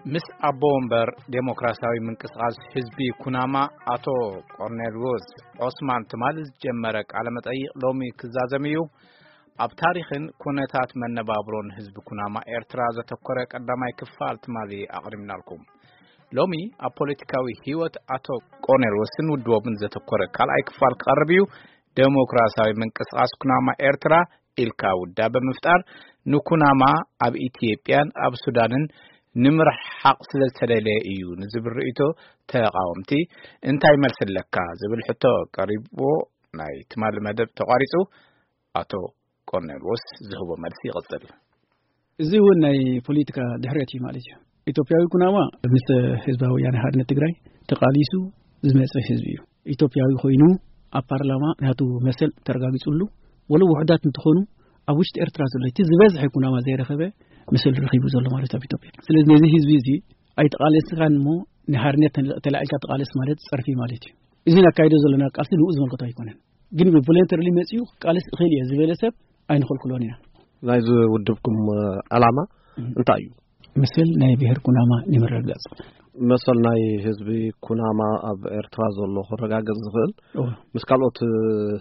ምስ ኣቦ ወንበር ዴሞክራሲያዊ ምንቅስቓስ ህዝቢ ኩናማ ኣቶ ቆርኔልዎስ ዖስማን ትማሊ ዝጀመረ ቃለ መጠይቕ ሎሚ ክዛዘም እዩ። ኣብ ታሪኽን ኩነታት መነባብሮን ህዝቢ ኩናማ ኤርትራ ዘተኮረ ቀዳማይ ክፋል ትማሊ ኣቕሪብናልኩም። ሎሚ ኣብ ፖለቲካዊ ህይወት ኣቶ ቆርኔልዎስን ውድቦምን ዘተኮረ ካልኣይ ክፋል ክቐርብ እዩ። ዴሞክራሲያዊ ምንቅስቓስ ኩናማ ኤርትራ ኢልካ ውዳበ ምፍጣር ንኩናማ ኣብ ኢትዮጵያን ኣብ ሱዳንን ንምርሓቕ ስለ ዝተደለየ እዩ ንዝብል ርእይቶ ተቓወምቲ እንታይ መልሲ ኣለካ ዝብል ሕቶ ቀሪብዎ ናይ ትማሊ መደብ ተቋሪጹ። ኣቶ ቆርኔልዎስ ዝህቦ መልሲ ይቕጽል። እዚ እውን ናይ ፖለቲካ ድሕረት እዩ ማለት እዩ። ኢትዮጵያዊ ኩናማ ምስ ህዝባዊ ወያነ ሓርነት ትግራይ ተቓሊሱ ዝመጸ ህዝቢ እዩ። ኢትዮጵያዊ ኮይኑ ኣብ ፓርላማ ናቱ መሰል ተረጋጊጹሉ፣ ወሎ ውሑዳት እንትኾኑ ኣብ ውሽጢ ኤርትራ ዘሎ እቲ ዝበዝሐ ኩናማ ዘይረኸበ መሰል ረኺቡ ዘሎ ማለት ኣብ ኢትዮጵያ። ስለዚ ነዚ ህዝቢ እዚ ኣይተቓለስካን እሞ ንሓርነት ተላዒልካ ተቓለስ ማለት ጸርፊ ማለት እዩ። እዚ ነካይዶ ዘለና ቃልሲ ንኡ ዝመልከቶ ኣይኮነን። ግን ብቮለንተርሊ መጺኡ ክቃለስ እኽእል እየ ዝበለ ሰብ ኣይንኸልክሎን ኢና። ናይዚ ውድብኩም ዕላማ እንታይ እዩ? መሰል ናይ ብሔር ኩናማ ንምርግጋጽ። መሰል ናይ ህዝቢ ኩናማ ኣብ ኤርትራ ዘሎ ክረጋገጽ ዝኽእል እወ። ምስ ካልኦት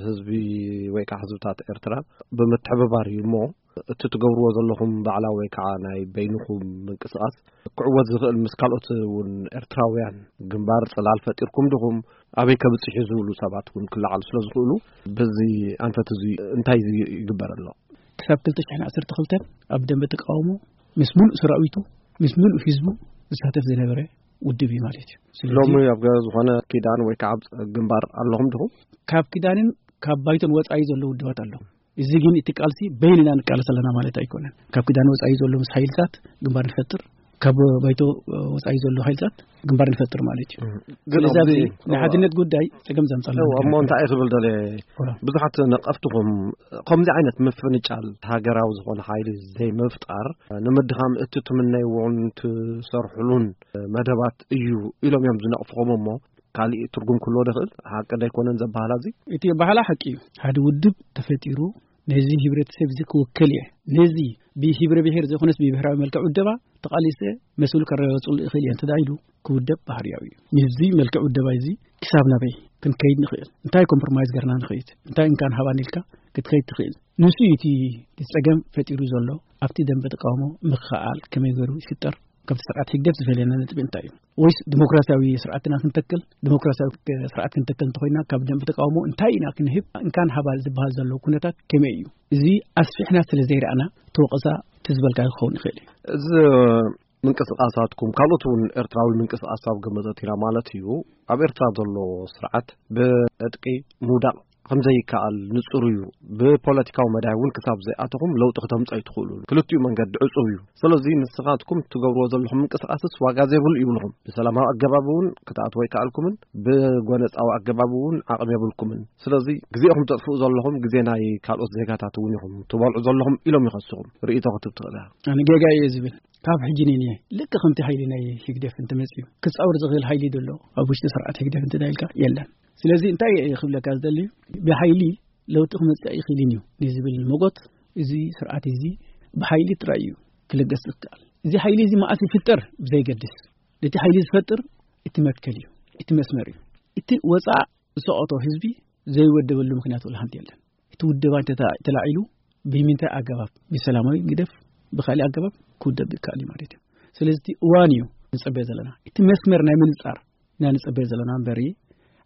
ህዝቢ ወይ ከዓ ህዝብታት ኤርትራ ብምትሕብባር እዩ እሞ፣ እቲ ትገብርዎ ዘለኹም ባዕላዊ ወይ ከዓ ናይ በይንኹም ምንቅስቓስ ክዕወት ዝኽእል ምስ ካልኦት እውን ኤርትራውያን ግንባር ጽላል ፈጢርኩም ድኹም ኣበይ ከብጽሕ እዩ ዝብሉ ሰባት እውን ክለዓሉ ስለ ዝኽእሉ፣ በዚ ኣንፈት እዚ እንታይ ይግበር ኣሎ? ክሳብ ክልተ ሽሕን ዓሰርተ ክልተን ኣብ ደንበ ተቃውሞ ምስ ምሉእ ሰራዊቱ፣ ምስ ምሉእ ህዝቡ ዝሳተፍ ዝነበረ ውድብ እዩ ማለት እዩ። ስለዚ ሎሚ ኣብ ዝኾነ ኪዳን ወይ ከዓ ኣብ ግንባር ኣለኹም ድኹም? ካብ ኪዳንን ካብ ባይቶን ወጻኢ ዘለዉ ውድባት ኣለዉ። እዚ ግን እቲ ቃልሲ በይንና ንቃለስ ኣለና ማለት ኣይኮነን። ካብ ኪዳን ወጻኢ ዘሎ ምስ ሓይልታት ግንባር ንፈጥር፣ ካብ ባይቶ ወጻኢ ዘሎ ሓይልታት ግንባር ንፈጥር ማለት እዩ። እም። ግን ስለዚ ኣብዚ ኣብዚ ናይ ሓድነት ጉዳይ ጸገም ዘምጻልና እው፣ ነገር እሞ እንታይ እየ ክብል ደልየ? እዋ። ብዙሓት ነቐፍትኹም ከምዚ ዓይነት ምፍንጫል ሃገራዊ ዝኾነ ሓይሊ ዘይምፍጣር ንምድኻም እቲ ትምነይዎን ትሰርሕሉን መደባት እዩ ኢሎም እዮም ዝነቕፍኹም እሞ፣ ካሊእ ትርጉም ክህልዎ ዶ ይኽእል? ሓቂ ዶ ኣይኮነን ዘበሃላ እዚ? እቲ ኣበሃላ ሓቂ እዩ። ሓደ ውድብ ተፈጢሩ ነዚ ህብረተሰብ እዚ ክውክል እየ፣ ነዚ ብህብረ ብሔር ዘይኮነስ ብብሔራዊ መልክዕ ውደባ ተቓሊሰ መስሉ ከረጋግጽሉ እኽእል እየ እንተ ኢሉ ክውደብ ባህርያዊ እዩ። ምስዚ መልክዕ ውደባ እዚ ክሳብ ናበይ ክንከይድ ንኽእል? እንታይ ኮምፕሮማይዝ ገርና ንኽእል? እንታይ እንካን ሃባን ኢልካ ክትኸይድ ትኽእል? ንሱ እዩ እቲ ጸገም ፈጢሩ ዘሎ። ኣብቲ ደንበ ተቃውሞ ምክኣል ከመይ ገይሩ ይፍጠር? ካብቲ ስርዓት ህግደፍ ዝፈልየና ነጥቢ እንታይ እዩ? ወይስ ዲሞክራሲያዊ ስርዓትና ክንተክል፣ ዲሞክራሲያዊ ስርዓት ክንተክል እንተኾይና ካብ ደንበ ተቃውሞ እንታይ ኢና ክንህብ? እንካን ሃባን ዝበሃል ዘሎ ኩነታት ከመይ እዩ? እዚ ኣስፊሕና ስለ ዘይረኣና እቲ ወቐሳ እቲ ዝበልካዮ ክኸውን ይኽእል እዩ። እዚ ምንቅስቓሳትኩም ካልኦት እውን ኤርትራዊ ምንቅስቓስ ኣብ ግምት ኣእቲና ማለት እዩ። ኣብ ኤርትራ ዘሎ ስርዓት ብዕጥቂ ምውዳቕ ከም ዘይከኣል ንጹር እዩ። ብፖለቲካዊ መዳይ እውን ክሳብ ዘይኣተኹም ለውጢ ክተምጹ ኣይትኽእሉን። ክልቲኡ መንገዲ ዕጹው እዩ። ስለዚ ንስኻትኩም እትገብርዎ ዘለኹም ምንቅስቓስስ ዋጋ ዘይብሉ ይብልኹም። ብሰላማዊ ኣገባብ እውን ክትኣትዉ ኣይከኣልኩምን፣ ብጎነጻዊ ኣገባብ እውን ዓቕሚ የብልኩምን። ስለዚ ግዜኹም ተጥፍኡ ዘለኹም ግዜ ናይ ካልኦት ዜጋታት እውን ኢኹም ትበልዑ ዘለኹም ኢሎም ይኸስኹም። ርእይቶ ክትብ ትኽእል ኢኻ። ኣነ ጌጋ እየ ዝብል ካብ ሕጂ ነይነ ልክ ከምቲ ሓይሊ ናይ ህግደፍ እንተመጽዩ ክጻወር ዝኽእል ሓይሊ ዘሎ ኣብ ውሽጢ ስርዓት ህግደፍ እንተ ኢልካ የለን። ስለዚ እንታይ እየ ክብለካ ዝደሊ፣ ብሓይሊ ለውጢ ክመጽእ ኣይኽእልን እዩ ንዝብል መጎት እዚ ስርዓት እዚ ብሓይሊ ጥራይ እዩ ክልገስ ዝከኣል። እዚ ሓይሊ እዚ መዓስ ይፍጠር ብዘይገድስ፣ ነቲ ሓይሊ ዝፈጥር እቲ መትከል እዩ፣ እቲ መስመር እዩ። እቲ ወጻእ ዝሰቐቶ ህዝቢ ዘይወደበሉ ምኽንያት ወላ ሓንቲ የለን። እቲ ውደባ እንተ ተላዒሉ ብምንታይ ኣገባብ፣ ብሰላማዊ ግደፍ ብካሊእ ኣገባብ ክውደብ ይከኣል እዩ ማለት እዩ። ስለዚ እቲ እዋን እዩ ንጸበዮ ዘለና። እቲ መስመር ናይ ምንጻር ኢና ንጸበዮ ዘለና እምበሪ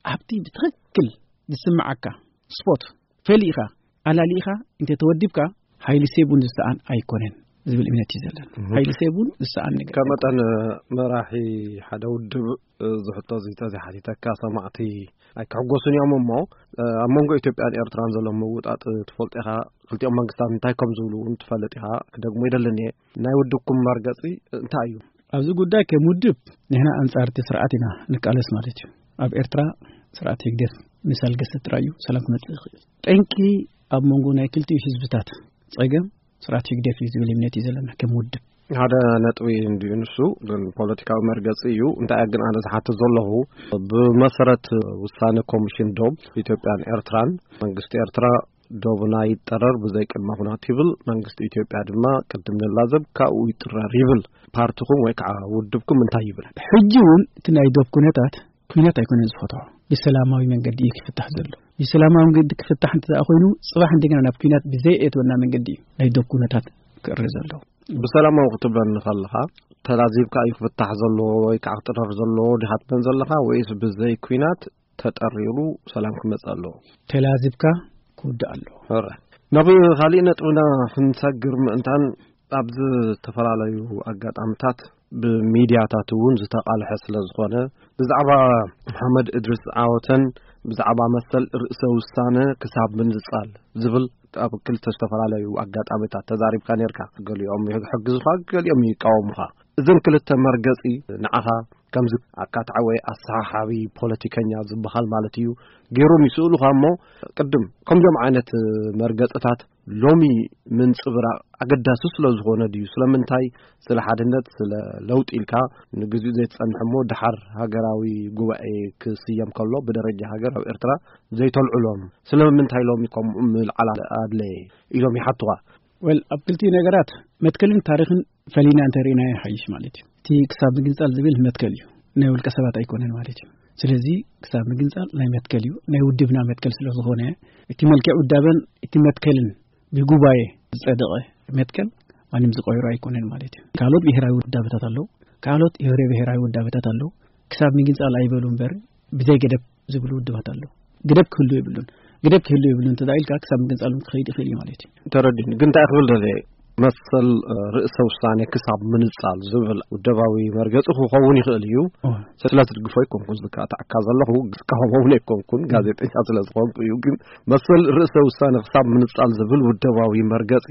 ኣብቲ ብትኽክል ዝስምዓካ ስፖት ፈሊእኻ ኣላሊእኻ እንተ ተወዲብካ ሓይሊ ሴቡን ዝሰኣን ኣይኮነን ዝብል እምነት እዩ ዘለና። እህ። ሓይሊ ሴቡን ዝሰኣን ነገር ከም መጠን መራሒ ሓደ ውድብ እዚ ሕቶ እዚ ተዘይሓቲተካ ሰማዕቲ ኣይክሕጎሱን እዮም እሞ፣ ኣብ መንጎ ኢትዮጵያን ኤርትራን ዘሎ ምውጣጥ ትፈልጦ ኢኻ። ክልቲኦም መንግስታት እንታይ ከም ዝብሉ እውን ትፈልጥ ኢኻ። ክደግሞ ይደልን እየ። ናይ ውድብኩም መርገጺ እንታይ እዩ? ኣብዚ ጉዳይ ከም ውድብ ንሕና ኣንጻር እቲ ስርዓት ኢና ንቃለስ ማለት እዩ። ኣብ ኤርትራ ስርዓት ህግደፍ ምስ ኣልገሰ ጥራይ እዩ ሰላም ክመጽእ ይኽእል። ጠንቂ ኣብ መንጎ ናይ ክልቲኡ ህዝብታት ጸገም ስርዓት ህግደፍ እዩ ዝብል እምነት እዩ ዘለና ከም ውድብ። ሓደ ነጥቢ እንድዩ ንሱ፣ ግን ፖለቲካዊ መርገጺ እዩ። እንታይ ግን ኣነ ዝሓትት ዘለኹ፣ ብመሰረት ውሳነ ኮሚሽን ዶብ ኢትዮጵያን ኤርትራን መንግስቲ ኤርትራ ዶብና ይጠረር ብዘይ ቅድመ ኩነት ይብል። መንግስቲ ኢትዮጵያ ድማ ቅድም ንላዘብ ካብኡ ይጥረር ይብል። ፓርቲኹም ወይ ከዓ ውድብኩም እንታይ ይብል? ሕጂ እውን እቲ ናይ ዶብ ኩነታት ኩናት ኣይኮነን ዝፈትሖ፣ ብሰላማዊ መንገዲ እዩ ክፍታሕ ዘሎ። ብሰላማዊ መንገዲ ክፍታሕ እንተ ደኣ ኮይኑ፣ ጽባሕ እንደገና ናብ ኩናት ብዘይ እትወና መንገዲ እዩ ናይ ዶብ ኩነታት ክእረ ዘሎ። ብሰላማዊ ክትብለኒ ከለኻ፣ ተላዚብካ እዩ ክፍታሕ ዘለዎ ወይ ከዓ ክጥረር ዘለዎ ዲኻ ትብለን ዘለኻ፣ ወይስ ብዘይ ኩናት ተጠሪሩ ሰላም ክመጽእ ኣለዎ? ተላዚብካ ክውዳእ ኣለዎ። ሕረ። ናብ ካሊእ ነጥብና ክንሰግር ምእንታን፣ ኣብ ዝተፈላለዩ ኣጋጣሚታት ብሚድያታት እውን ዝተቓልሐ ስለ ዝኾነ፣ ብዛዕባ መሓመድ እድሪስ ዓወተን ብዛዕባ መሰል ርእሰ ውሳነ ክሳብ ምንጻል ዝብል ኣብ ክልተ ዝተፈላለዩ ኣጋጣሚታት ተዛሪብካ ነርካ። ገሊኦም ይሕግዙኻ፣ ገሊኦም ይቃወሙኻ። እዘን ክልተ መርገጺ ንዓኻ ከምዚ ኣካታዒ ወይ ኣሰሓሓቢ ፖለቲከኛ ዝበሃል ማለት እዩ፣ ገይሮም ይስእሉኻ እሞ፣ ቅድም ከምዚኦም ዓይነት መርገጽታት ሎሚ ምንጽብራቕ ኣገዳሲ ስለ ዝኾነ ድዩ? ስለምንታይ? ስለ ሓድነት፣ ስለ ለውጢ ኢልካ ንግዚኡ ዘይትጸንሕ እሞ፣ ደሓር ሃገራዊ ጉባኤ ክስየም ከሎ ብደረጃ ሃገር ኣብ ኤርትራ ዘይተልዕሎም? ስለምንታይ ሎሚ ከምኡ ምልዓል ኣድለየ? ኢሎም ይሓቱኻ። ወል፣ ኣብ ክልቲኡ ነገራት መትከልን ታሪኽን ፈሊና እንተርኢናዮ ይሓይሽ ማለት እዩ። እቲ ክሳብ ምግንጻል ዝብል መትከል እዩ፣ ናይ ውልቀ ሰባት ኣይኮነን ማለት እዩ። ስለዚ ክሳብ ምግንጻል ናይ መትከል እዩ፣ ናይ ውድብና መትከል ስለ ዝኾነ፣ እቲ መልክዕ ውዳበን እቲ መትከልን ብጉባኤ ዝጸደቐ መትከል ማንም ዝቐይሮ ኣይኮነን ማለት እዩ። ካልኦት ብሄራዊ ውዳበታት ኣለዉ፣ ካልኦት ህብረ ብሄራዊ ውዳበታት ኣለዉ። ክሳብ ምግንጻል ኣይበሉ እምበር፣ ብዘይ ገደብ ዝብሉ ውድባት ኣለዉ። ገደብ ክህሉ የብሉን። ገደብ ክህሉ የብሉን እንተ ኢልካ፣ ክሳብ ምግንጻል እውን ክኸይድ ይኽእል እዩ ማለት እዩ። ተረዲኡኒ። ግን እንታይ ክብል ደልየ፣ መሰል፣ እ፣ ርእሰ ውሳኔ ክሳብ ምንጻል ዝብል ውደባዊ መርገጺ ክኸውን ይኽእል እዩ። እወ። ስለ ትድግፎ ኣይኮንኩን ዝከታተዓካ ዘለኹ፣ ዝቃወሞ እውን ኣይኮንኩን፣ ጋዜጠኛ ስለ ዝኾንኩ እዩ። ግን መሰል ርእሰ ውሳኔ ክሳብ ምንጻል ዝብል ውደባዊ መርገጺ፣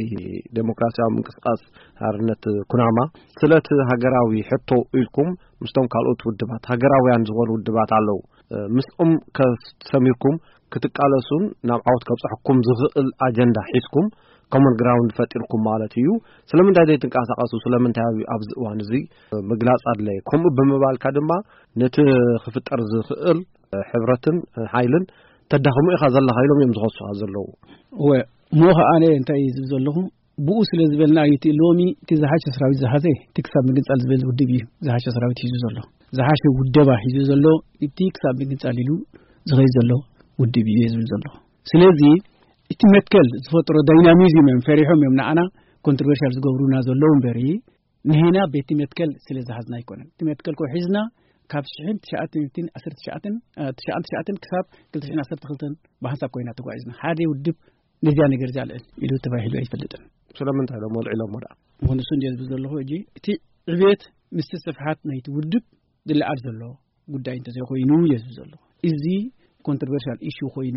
ዴሞክራሲያዊ ምንቅስቃስ ሓርነት ኩናማ፣ ስለቲ ሃገራዊ ሕቶ ኢልኩም ምስቶም ካልኦት ውድባት፣ ሃገራውያን ዝኾኑ ውድባት ኣለዉ፣ እ፣ ምስኦም ከሰሚርኩም ክትቃለሱን ናብ ዓወት ከብጽሐኩም ዝኽእል ኣጀንዳ ሒዝኩም፣ ኮመን ግራውንድ ፈጢርኩም ማለት እዩ። ስለምንታይ ዘይትንቀሳቐሱ? ስለምንታይ ኣብ-፣ ኣብዚ እዋን እዚ ምግላጽ ኣድለየ? ከምኡ ብምባልካ ድማ ነቲ ክፍጠር ዝኽእል ሕብረትን ሓይልን ተዳኽሞ ኢኻ ዘለኻ ኢሎም እዮም ዝኸሱኻ ዘለዉ። እወ፣ እሞ ኸኣ ኣነ እንታይ እዩ ዝብል ዘለኹ? ብኡ ስለ ዝበልና እዩ እቲ ሎሚ እቲ ዝሓሸ ሰራዊት ዝሓዘ፣ እቲ ክሳብ ምግንጻል ዝብል ውድብ እዩ ዝሓሸ ሰራዊት ሒዙ ዘሎ። ዝሓሸ ውደባ ሒዙ ዘሎ እቲ ክሳብ ምግንጻል ኢሉ ዝኸይድ ዘሎ ውድብ እዩ ዝብል ዘሎ። ስለዚ እቲ መትከል ዝፈጥሮ ዳይናሚዝም እዮም ፈሪሖም እዮም ንዓና ኮንትሮቨርሻል ዝገብሩና ዘለዉ እምበሪ፣ ንሕና ቤቲ መትከል ስለ ዝሓዝና ኣይኮነን። እቲ መትከል ኮ ሒዝና ካብ ሽሕን ትሽዓተ ሚእትን ዓሰርተ ትሽዓተን፣ እ፣ ትሽዓን ትሽዓተን ክሳብ ክልተ ሽሕን ዓሰርተ ክልተን ብሓንሳብ ኮይና ተጓዒዝና። ሓደ ውድብ ነዚኣ ነገር እዚኣ ልዕል ኢሉ ተባሂሉ ኣይፈልጥን። ስለምንታይ ኢሎም ወልዒሎሞ ደኣ? ምኽንሱ እንድየ ዝብል ዘለኹ ሕጂ፣ እቲ ዕብየት ምስቲ ስፍሓት ናይቲ ውድብ ዝለዓል ዘሎ ጉዳይ እንተዘይኮይኑ እየ ዝብል ዘለኹ። እዚ ኮንትሮቨርሻል ኢሹ ኮይኑ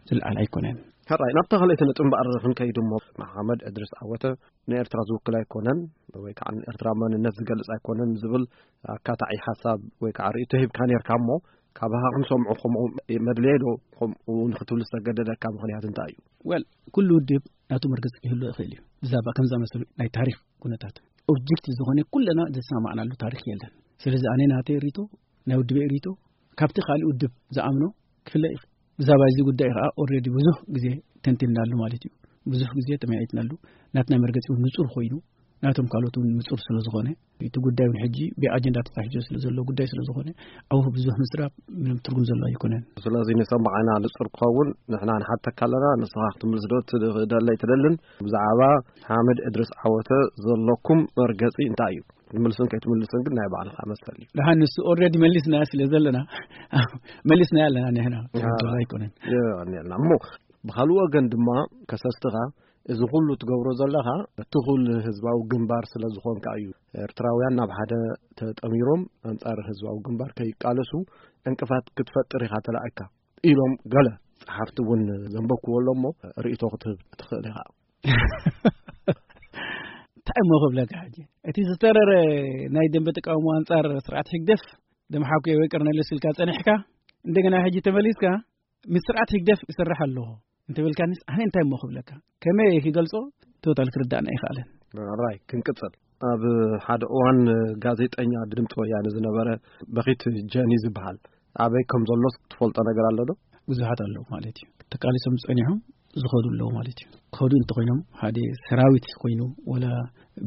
ዝለዓል ኣይኮነን። ሕራይ፣ ናብታ ካልኣይቲ ነጥቢ እምበኣር ክንከይድ እሞ፣ መሓመድ እድሪስ ዓወተ ንኤርትራ ዝውክል ኣይኮነን፣ ወይ ከዓ ንኤርትራ መንነት ዝገልጽ ኣይኮነን ዝብል ኣካታዒ ሓሳብ ወይ ከዓ ርእይቶ ሂብካ ነርካ እሞ፣ ካባኻ ክንሰምዖ ከምኡ መድልየ ዶ? ከምኡ ንክትብል ዝተገደደካ ምኽንያት እንታይ እዩ? ወል፣ ኩሉ ውድብ ናቱ መርገጽ ክህሉ ይኽእል እዩ። ብዛዕባ ከም ዝኣመሰሉ ናይ ታሪኽ ኩነታት ኦብጀክቲቭ ዝኾነ ኩለና ዘሰማማዕናሉ ታሪኽ የለን። ስለዚ ኣነ ናተይ ርእይቶ፣ ናይ ውድበይ ርእይቶ ካብቲ ካልእ ውድብ ዝኣምኖ ክፍለ ይኽእል። ብዛዕባ እዚ ጉዳይ ከኣ ኦልሬዲ ብዙሕ ግዜ ተንቲንናሉ ማለት እዩ። ብዙሕ ግዜ ተመያይጥናሉ። ናትና መርገጺ እውን ንጹር ኮይኑ፣ ናቶም ካልኦት እውን ንጹር ስለ ዝኾነ፣ እቲ ጉዳይ እውን ሕጂ ብኣጀንዳ ተታሒዞ ስለ ዘሎ ጉዳይ ስለ ዝኾነ፣ ኣብኡ ብዙሕ ምዝራብ ምንም ትርጉም ዘሎ ኣይኮነን። ስለዚ ንሰማዕና ንጹር ክኸውን ንሕና ንሓተካ ኣለና፣ ንስኻ ክትምልስ ዶ ትደሊ ኣይትደልን? ብዛዕባ ሓመድ እድሪስ ዓወተ ዘለኩም መርገጺ እንታይ እዩ? ትምልስን ከይትምልስን ግን ናይ ባዕልኻ መሰል እዩ። ደሓን ንሱ ኦልሬዲ መሊስናዮ ስለ ዘለና፣ መሊስናዮ ኣለና ንሕና። አ፣ ትርጉም ኣይኮነን። የቐንየልና። እሞ ብኻልእ ወገን ድማ ከሰስትኻ እዚ ኩሉ ትገብሮ ዘለኻ እቲ ኩሉ ህዝባዊ ግንባር ስለ ዝኾንካ እዩ። ኤርትራውያን ናብ ሓደ ተጠሚሮም ኣንጻር ህዝባዊ ግንባር ከይቃለሱ ዕንቅፋት ክትፈጥር ኢኻ ተላኢካ ኢሎም ገለ ጸሓፍቲ እውን ዘንበብክዎ ኣሎ እሞ ርእይቶ ክትህብ ትኽእል ኢኻ። እንታይ እሞ ክብለካ ሕጂ? እቲ ዝተረረ ናይ ደንበ ተቃውሞ ኣንጻር ስርዓት ህግደፍ ደምሓኩየ ወይ ቀርነለስ ኢልካ ጸኒሕካ፣ እንደገና ሕጂ ተመሊስካ ምስ ስርዓት ህግደፍ እሰርሕ ኣለኹ እንተበልካኒስ ኣነ እንታይ እሞ ክብለካ? ከመይ እየ ክገልጾ? ቶታል ክርዳእና ኣይከኣለን። ራይ፣ ክንቅጽል። ኣብ ሓደ እዋን ጋዜጠኛ ድምፂ ወያነ ዝነበረ በኺት ጀኒ ዝበሃል ኣበይ ከም ዘሎስ ትፈልጦ ነገር ኣሎ ዶ? ብዙሓት ኣለዉ ማለት እዩ። ተቃሊሶም ጸኒሖም ዝኸዱ ኣለዉ ማለት እዩ። ክኸዱ እንተኾይኖም ሓደ ሰራዊት ኮይኑ ወላ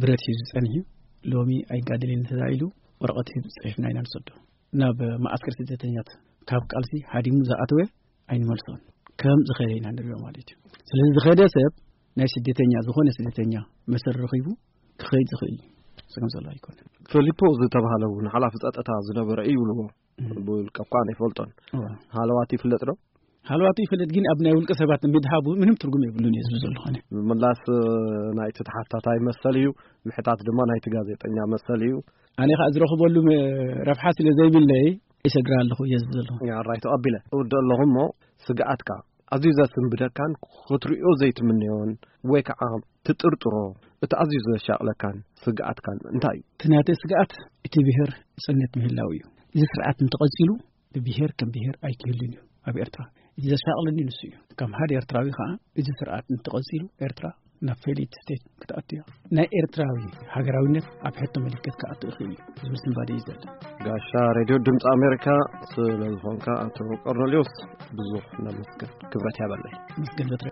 ብረት ሒዙ ጸኒሑ ሎሚ ኣይጋደልን እንተዳኢሉ ወረቐት ሒዙ ጽሒፍና ኢና ንሰዶ። ናብ ማዓስከር ስደተኛት ካብ ቃልሲ ሃዲሙ ዝኣተወ ኣይንመልሶን። ከም ዝኸደ ኢና ንሪኦ ማለት እዩ። ስለዚ ዝኸደ ሰብ ናይ ስደተኛ ዝኾነ ስደተኛ መሰል ረኺቡ ክኸይድ ዝኽእል እዩ። ስገም ዘሎ ኣይኮነን። ፈሊፖ ዝተባህለ እውን ሓላፊ ጸጥታ ዝነበረ እዩ ይብልዎ። ብውልቀ እኳ ኣይፈልጦን። ሃለዋት ይፍለጥ ዶ? ሃለዋቱ ይፍለጥ፣ ግን ኣብ ናይ ውልቀ ሰባት ምድሃቡ ምንም ትርጉም የብሉን እዩ ዝብል ዘለኹ ኣነ። ምምላስ ናይቲ ተሓታታይ መሰል እዩ፣ ምሕታት ድማ ናይቲ ጋዜጠኛ መሰል እዩ። ኣነ ከዓ ዝረኽበሉ ረብሓ ስለ ዘይብለይ ይሰግር ኣለኹ እየ ዝብል ዘለኹ። ኣራይ ተቐቢለ እውደ ኣለኹ እሞ፣ ስግኣትካ ኣዝዩ ዘስንብደካን ክትሪኦ ዘይትምነዮን ወይ ከዓ ትጥርጥሮ፣ እቲ ኣዝዩ ዘሻቕለካን ስግኣትካን እንታይ እዩ? እቲ ናተይ ስግኣት እቲ ብሄር ጽነት ምህላው እዩ። እዚ ስርዓት እንተቐጺሉ ብሄር ከም ብሄር ኣይክህልን እዩ ኣብ ኤርትራ። እቲ ዘሻቕለኒ ንሱ እዩ። ከም ሓደ ኤርትራዊ ከዓ እዚ ስርዓት እንተቐጺሉ ኤርትራ ናብ ፌሊት ስቴት ክትኣቱ እያ። ናይ ኤርትራዊ ሃገራዊነት ኣብ ሕቶ ምልክት ክኣቱ ይኽእል እዩ ዝብል ስንባደ እዩ ዘሎ። ጋሻ ሬድዮ ድምፂ ኣሜሪካ ስለ ዝኾንካ ኣቶ ቆርኔሌዎስ ብዙሕ ነመስግን። ክብረት ያበለይ። መስገን ዘትረ